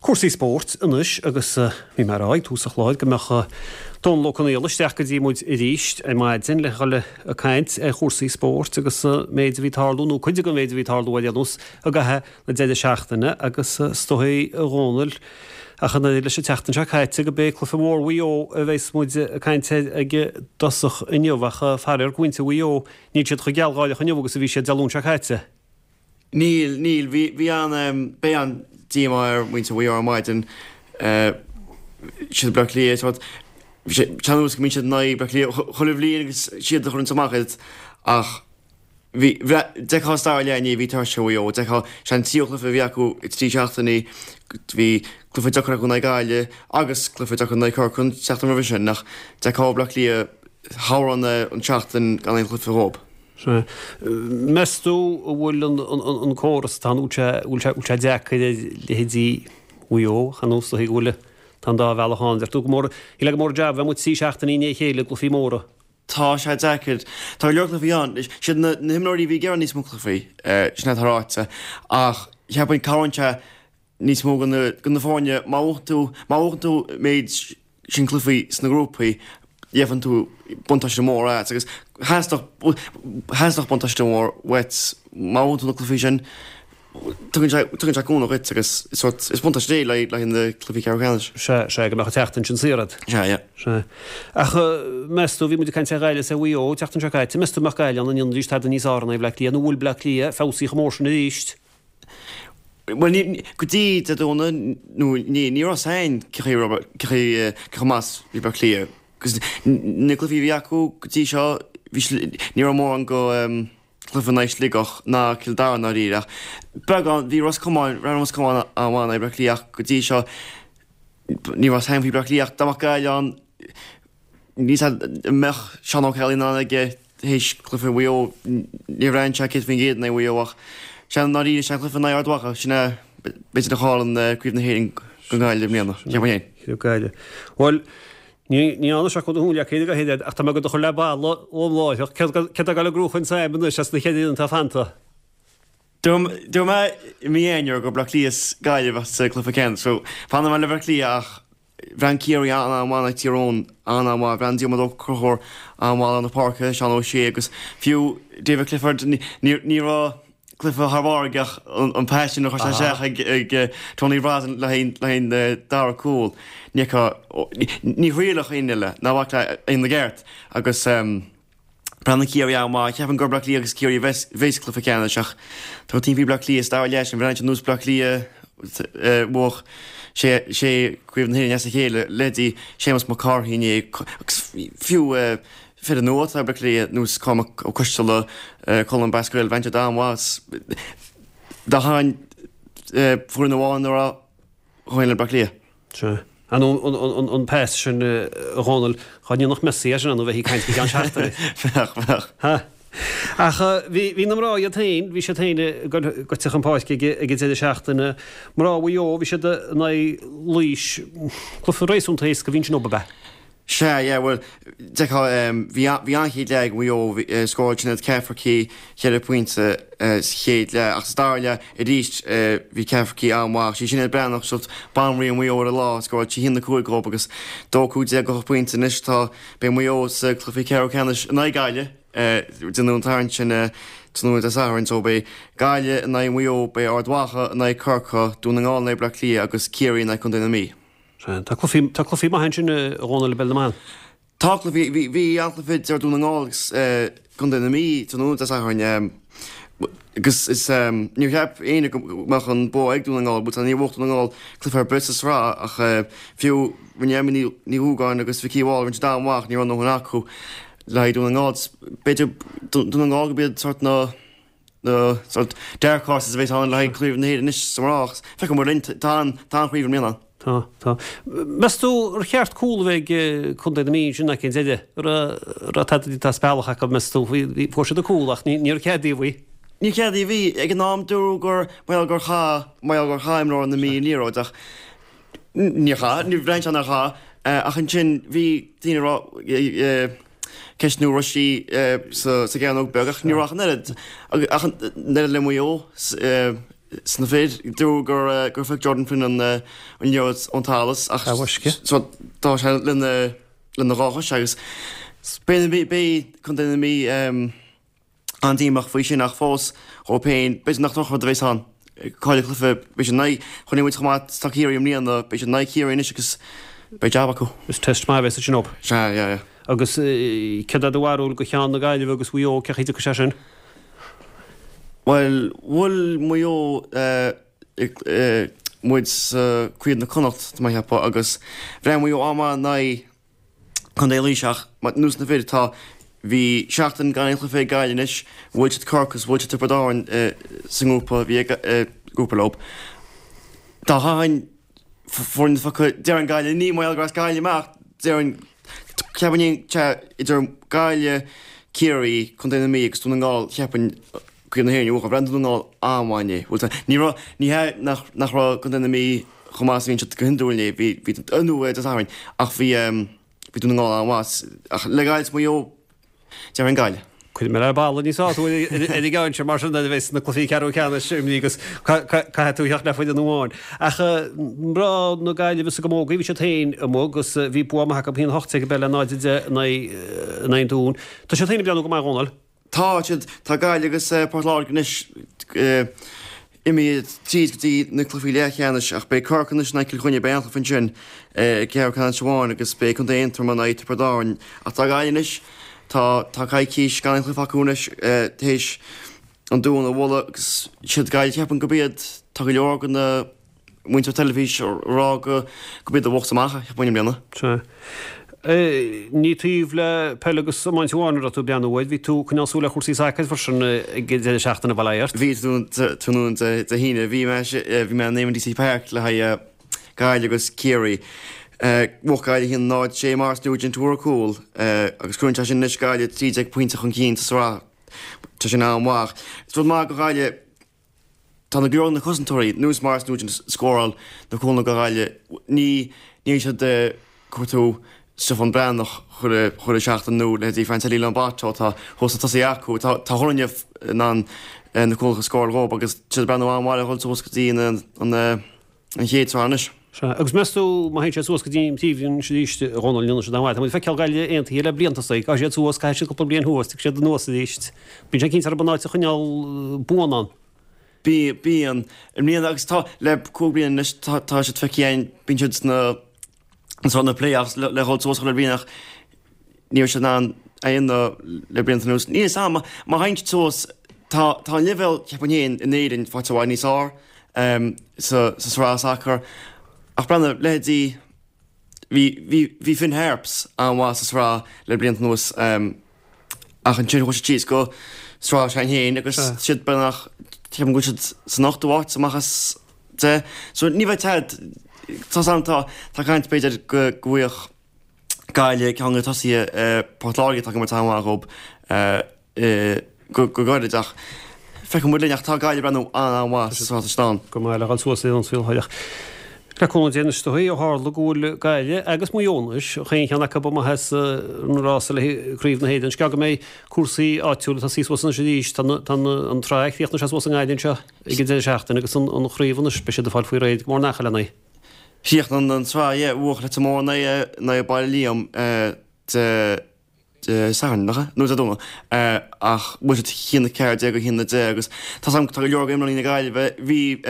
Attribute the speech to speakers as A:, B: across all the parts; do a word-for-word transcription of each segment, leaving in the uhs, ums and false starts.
A: Cúrsaí spóirt anois agus bhí mé ag rá ag tús an chláir go mbeadh Dónal Ó Conaola isteach go dtí muid arís ar maidin le dhul ag caint ar chúrsaí spóirt agus méid a bhí tarlú nó cuid den mhéid a bhí tarlú ar aon nós i gcaitheamh na deireadh seachtaine agus is dóigh a Dhónaill ach an oiread leis an tseachtain seo caite go b'é cluiche mór Mhaigh Eo a bheas muid ag caint air ag dtosach inniu ach faraor do mhuintir Mhaigh Eo níl siad chomh gealgháireach inniu agus a bhí siad Dé Luain seo caite.
B: Níl, níl, bhí, bhí an, beidh an díomá ar mhuintir Mhaigh Eo ar maidin, siad Bleá Cliath, sórt, bhí sé, sean-nós go mbíonn siad in aghaidh Bleá Cliath chuile bhliain agus siad a chuireanns amach iad ach bhí, d'fheicfeá sa dara leath inné, bhí tuirse ar Mhaigh Eo, d'fheicfeá, sé an tríú cluiche a bhí acu i trí seachtainí, bhí cluiche deacair acu in aghaidh Gaillimh agus cluiche deacair in aghaidh Corcaigh an tseachtain roimhe sin ach d'fheicfeá Bleá Cliath chabhraigh an tseachtain gan aon chluiche dhóibh.
A: Sea. Meas tú an bhfuil an córas atá ann, an bhfuil sé, bhfuil sé deacair ar leithéidí Mhaigh Eo, chan nós go bhfuil, tá an dá bhealach ann. Deir tú go mór, shílfeá gur mór an jab a bheith amuigh trí seachtainí i ndiaidh a chéile i gcluichí móra.
B: Tá sé deacair. Tá go leor cluichí ann. Siad na himreoirí a bhí ag iarraidh níos mó cluichí, sin atá ráite. Ach cheapfainn cabhraíonn sé níos mó do na foirne má bhuann tú, má bhuann tú méid sin cluichí sna grúpaí, gheibheann tú buntáiste mór as agus theastódh, theastódh buntáiste mór uait má bhuann tú na cluichí sin, tugann sé, tugann sé cúnamh dhuit agus sórt, is buntáiste é le haghaidh na cluichí ceathrú ceannais.
A: Sea, sea, go mbeadh an tseachtain sin saor agat.
B: Sea, yeah.
A: Sea. Ach meas tú, bhí muid ag caint ar Ghaillimh is ar Mhaigh Eo an tseachtain seo caite, meas tú an mbeadh Gaillimh in ann a ndéanfaidís tada níos fearr in aghaidh Bhleá Cliath nó an bhfuil Bleá Cliath feabhsaithe chomh mór sin arís?
B: Bhuel, ní, go dtí Dé Domhnaigh, nó ní, ní raibh a fhios againn cé chaoi raibh, cé chaoi, cé chomh maith is bhí Bleá Cliath. Agus na cluichí a bhí acu go dtí seo, bhí, ní raibh mórán go cluiche in aghaidh Sligeach ná Cill Dara i ndáiríre ach beagán, bhí Ros Comáin, rinne Ros Comáin an-mhaith in aghaidh Bleá Cliath ach go dtí seo ní raibh a fhios againn faoi Bleá Cliath ach dá mbeadh Gaillimh ann, Níl a fhios agam an mbeadh Seán Ó Ceallaigh in ann aige théis cluiche Mhaigh Eo, níor bhreathnaigh sé céad faoin gcéad in aghaidh Mhaigh Eo ach sea, i ndáiríre, sé an cluiche in aghaidh Ard Mhacha, sin é b'fhéidir a chailleann Craobh na hÉireann do Ghaillimh i mbliana, cheapfainn féin.
A: Craobh Gaillimh. Bhuel, ní ní fhanfaidh sé chun do shúil acu go héad ach tá mé ag do chur le balla ón láithreach. Céard céard atá ag dul i gcrúchain Sam anois as na ceithre fhoireann atá fanta?
B: Dúirt mé i mí Eanáir gur Bleá Cliath is Gaillimh sa cluiche ceannais so fanfaidh mé le Bleá Cliath ach Bhreathnaigh Ciarraí an-an-mhaith in aghaidh Tír Eoghain, an-an-mhaith. Bhreathnaigh Diarmuid Ó Conchúir an-mhaith lár na páirce, Seán Ó Sé agus fiú David Clifford, ní raibh cluiche thar barr aige ach an pas sin a chuir sé isteach ag Tony Brosnan le haghaidh an dara cúl, ní thriailfeadh éinne eile ná bac le ina gceart agus. Breathnaíonn Ciarraí an-mhaith. Cheapfainn gur Bleá Cliath agus Ciarraí a bheas sa cluiche ceannais ach tá tinn faoi Bleá Cliath sa dara leath sin. Bhreathnaigh siad nós Bleá Cliath a bhuafadh sé sé Craobh na hÉireann as a chéile, leithéidí Séamus Mac Cárthaigh inné agus fiú fir nua atá ag Bleá Cliath nós Cormac Ó Coisteala, Colm Basquel, bhreathnaigh siad an-mhaith. Dá tharraing foireann amháin a raibh chugainn le Bleá Cliath.
A: Sea. An an pas sin, a Dhónaill, dhá ndéanfadh Messi é sin ann, bheifí ag caint go ceann seachtaine.
B: Bheadh, bheadh.
A: Ha. Ach bhí, bhí na mná iad féin, bhí siad féin ag goil chun páirce ag, ag an deireadh seachtaine. Mná Mhaigh Eo, bhí siad in aghaidh Laois. Cluiche réasúnta éasca a bhí ansin dóibh, ab ea?
B: Sea, yeah, bhuel, d'fheicfeá, bhí, bhí an-chéad leath ag Maigh Eo, scóráil Sinéad Cafferkey ceithre phointe sa chéad leath, ach sa dara leath arís bhí Cafferkey an-mhaith. Sí Sinéad Breathnach, sórt banríon Mhaigh Eo ar an lá, scóráil sí a haon a cúig dhóibh agus dó cúig déag ocht bpointe. Anois tá, beidh Maigh Eo sa cluiche ceathrú ceannais in aghaidh Gaillimh, déanadh an tarraingt sin tráthnóna Dé Sathairn, so beidh Gaillimh in aghaidh Mhaigh Eo, beidh Ard Mhacha in aghaidh Corcaigh, Dún na nGall in aghaidh Bleá Cliath agus Ciarraí in aghaidh Contae na Mí.
A: Tá cluichí, tá cluichí maithe ansin a Dhónaill i bpeil na mban.
B: Tá cluichí, bhí, bhí an-chluiche idir Dún na nGall agus Contae na Mí tráthnóna Dé Sathairn agus is níor cheap éinne go mbeadh an bua ag Dún na nGall, but níor bhuaigh Dún na nGall cluiche ar bith sa sraith ach fiú rinne Emma Ní Dhúgáin agus Vikki Wall rinne siad an-mhaith, ní raibh a ndóthain acu le haghaidh Dún na nGall. B'fhéidir Dún na nGall go b'iad sort na na sort dark horses a bheas ann le haghaidh Craobh na hÉireann anois sa mná ach feicfidh muid linn, tá an, tá an chraobh i mbliana ann.
A: Tá, tá. Meas tú ar cheart cúl a bheith ag Contae na Mí ansin ag an deireadh? An raibh, raibh tada déanta as bealach acu, meas tú? Bhí, fuair siad an cúl ach ní, níor cead díobh í.
B: Níor cead díobh í. Ag an am dúradh gur, mar gheall gur chaith, mar gheall gur chaith imreoir na Mí an liathróid ach níor chaith, ní bhreathnaigh sé nár chaith ach ansin bhí daoine a rá, ceistniú raibh sí sa gcearnóg beag ach ní raibh ach an oiread, ach an oiread le Maigh Eo sna fir. Dúradh gur gur phioc Jordan Flynn an an liathróid ón talamh ach so tá sé lena lena dhá chois agus beidh beidh Contae na Mí an-díomách faoi sin ach fós dhóibh féin b'fhéidir nach drochrud a bheas ann. Cailleadh cluiche beidh siad in aghaidh chonaic muid chomh maith tá Ciarraí i mbliana beidh siad in aghaidh Chiarraí anois agus beidh jab acu.
A: Is test maith a bheas ansin dóibh.
B: Sea, yeah, yeah.
A: Agus céard é do bharúil go cheann na Gaillimhe agus Mhaigh Eo, cén chaoi a dtiocfaidh sé sin?
B: Bhuel, bhuail Maigh Eo muid sa Craobh na Connacht, tá mé ag ceapadh, agus bhreathnaigh Maigh Eo an-mhaith in aghaidh Contae Laoise ach ar nós na fir, tá, bhí seachtain gan aon chluiche ag Gaillimh anois, bhuail siad Corcaigh agus bhuail siad Tiobraid Árann sa ngrúpa, bhí ag grúpa leo. Dá chaithfinn foireann a phiocadh, déarfainn Gaillimh, ní mar gheall gur as Gaillimh mé ach déarfainn, cheapfainn idir Gaillimh, Ciarraí, Contae na Mí agus Dún na nGall, cheapfainn Craobh na hÉireann a bhuachan. Bhreathnaigh Dún na Ngall an-mhaith inné. Bhuel, tá, ní raibh, ní hea nach, nach raibh Contae na Mí chomh maith is a bhíonn siad go hiondúil inné, bhí, bhí, nó Dé Sathairn, ach bhí, bhí Dún na nGall an-mhaith. Ach le Gaillimh is Maigh Eo, déarfainn Gaillimh.
A: Cuirfidh mé ar balla níos fearr tú ar an gceann seo mar sin nuair a bheas na cluichí ceathrú ceannais imithe agus caithfidh tú theacht le foireann amháin. Ach mná na Gaillimhe sa gcamógaí, bhí siad féin amuigh agus bhí bua maith acu, a haon a hocht déag ab ea le náid a deich in aghaidh an Dúin. Tá siad féin ag breathnú go maith, a Dhónaill.
B: Tá siad, tá Gaillimh agus Port Láirge anois imithe tríd go dtí na cluichí leathcheannais ach beidh Corcaigh anois in aghaidh Cill Chainnigh, beidh an-chluiche ansin i gceathrú ceannais amháin agus beidh Contae Aontroma in aghaidh Tiobraid Árann. Ach tá Gaillimh anois, tá tá coicís gan aon chluiche acu anois théis an Dún a bhualadh agus siad Gaillimh ceapaim gurb iad, tá go leor de na muintir teilifís ag rá go gurb iad a bhuafas amach é, cheapfainn i mbliana.
A: Sea. Ní taobh le peil agus iomáint amháin a raibh tú ag breathnú air, bhí tú ag coinneáil súil ar chúrsaí sacair freisin ag an deireadh seachtaine, bail ó Dhia ort.
B: Bhí, tráthnóna Dé hAoine, bhí mé bhí mé in Eamonn Deacy Park le haghaidh Gaillimh agus Ciarraí. Bhuaigh Gaillimh a haon náid sé Maurice Nugent a fuair an cúl agus cuireann sé sin anois Gaillimh trí déag pointe chun cinn sa tsraith. Tá sin an-mhaith. Is rud maith do Ghaillimh Tá na go leor de na cosantóirí, nós Maurice Nugent ag scóráil na cúlanna do Ghaillimh, ní níl siad ag cuartú Stiofán Breathnach chuile chuile seachtain nó leithéidí Francely Lomboto atá thuas sna tosaithe acu. Tá tá chuile dhuine in ann na cúlacha a scóráil dhóibh agus tá siad ag breathnú an-mhaith le dhul suas go dtí an an an chéad sraith anois.
A: Sea, agus meas tú má théann siad suas go dtí an príomhroinn arís, a Dhónaill, an ndéanfaidh siad an-mhaith? Tá muid ag feiceáil Gaillimh aontaithe le blianta, is gabhfaidh siad suas, caithfidh siad cúpla bliain thuas, tiocfaidh siad anuas arís. Bíonn sé cinnte orthu an áit a choinneáil buan ann.
B: Bíonn. I mbliana agus tá, le cúig bliana anois, tá, tá siad feicthe againn, bíonn siad sna, sna na play-offs le, le dhul suas chuile bhliain ach ní raibh siad in ann é a dhéanamh le blianta anuas. Níl a fhios agam, má théann siad suas, tá, tá an leibhéal, cheapfainn féin, in Éirinn faighte i bhfad níos fearr sa, sa sraith sacair ach breathnaigh, leithéidí, Bhí, bhí, bhí Finn Harps an-mhaith sa sraith le blianta anuas ach ansin chuaigh siad síos go sraith s'againn féin agus siad beagnach, ceapaim go bhfuil siad san ochtú háit amach as deich. So ní bheidh ted, tá 's agam tá, tá caint b'fhéidir go, go bhfaigheadh Gaillimh ceann de tosaithe Port Láirge atá ag imirt an-mhaith dhób. Go gairid ach feicfidh muid linn ach tá Gaillimh ag breathnú an-an-mhaith sa sraith atá ann.
A: Go maith le dhul suas ar an saol thoir. Le cúnamh Dé anois is dóigh, ó tharla go bhfuil Gaillimh agus Maigh Eo anois, chaon cheann acu amuigh as an rása le Craobh na hÉireann. Is gearr go mbeidh cúrsaí áitiúla ag tosaí suas anois arís. Tá an tsraith, chríochnaigh sé suas i nGaillimh anseo ag an deireadh seachtaine agus an chraobh anois, beidh siad ag fáil faoi réir go mór in Acaill lena.
B: Chríochnaigh an tsraith, yeah, bhuaigh Leitir Móir in aghaidh Baile Liam de Dé Sathairn, nach ea? Nó Dé Domhnaigh. Ach bhuaigh siad a haon a ceathair déag a haon a deich agus tá 's agam tá go leor d'imreoirí na Gaillimhe, bhí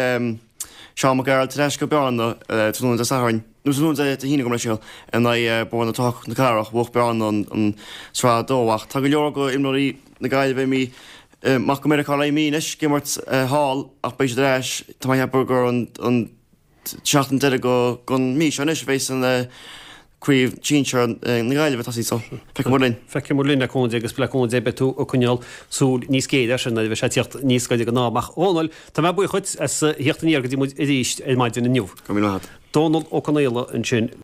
B: Seán Mac Gearailt ar ais go Bearna tráthnóna Dé Sathairn, nó tráthnóna Dé hAoine gabh mo leithscéal, in aghaidh Bóthar na Trá na Cathrach, bhuaigh Bearna an tsraith dó ach tá go leor d'imreoirí na Gaillimhe imithe amach go Meiriceá le mí anois ag imirt thall ach beidh siad ar ais, tá mé ag ceapadh gur an tseachtain deiridh den mhí seo anois a bheas an Craobh Sinsear na Gaillimhe ag tosaí so feicfidh muid linn.
A: Feicfidh muid linn le cúnamh Dé agus le cúnamh Dé beidh tú ag coinneáil súil níos géire air sin nuair a bheidh sé ag tíocht níos gaire don am. Ach a Dhónaill, tá mé buíoch dhuit as theacht aniar go dtí muid arís ar maidin inniu.
B: Go raibh míle maith agat.
A: Dónal Ó Conaola ansin.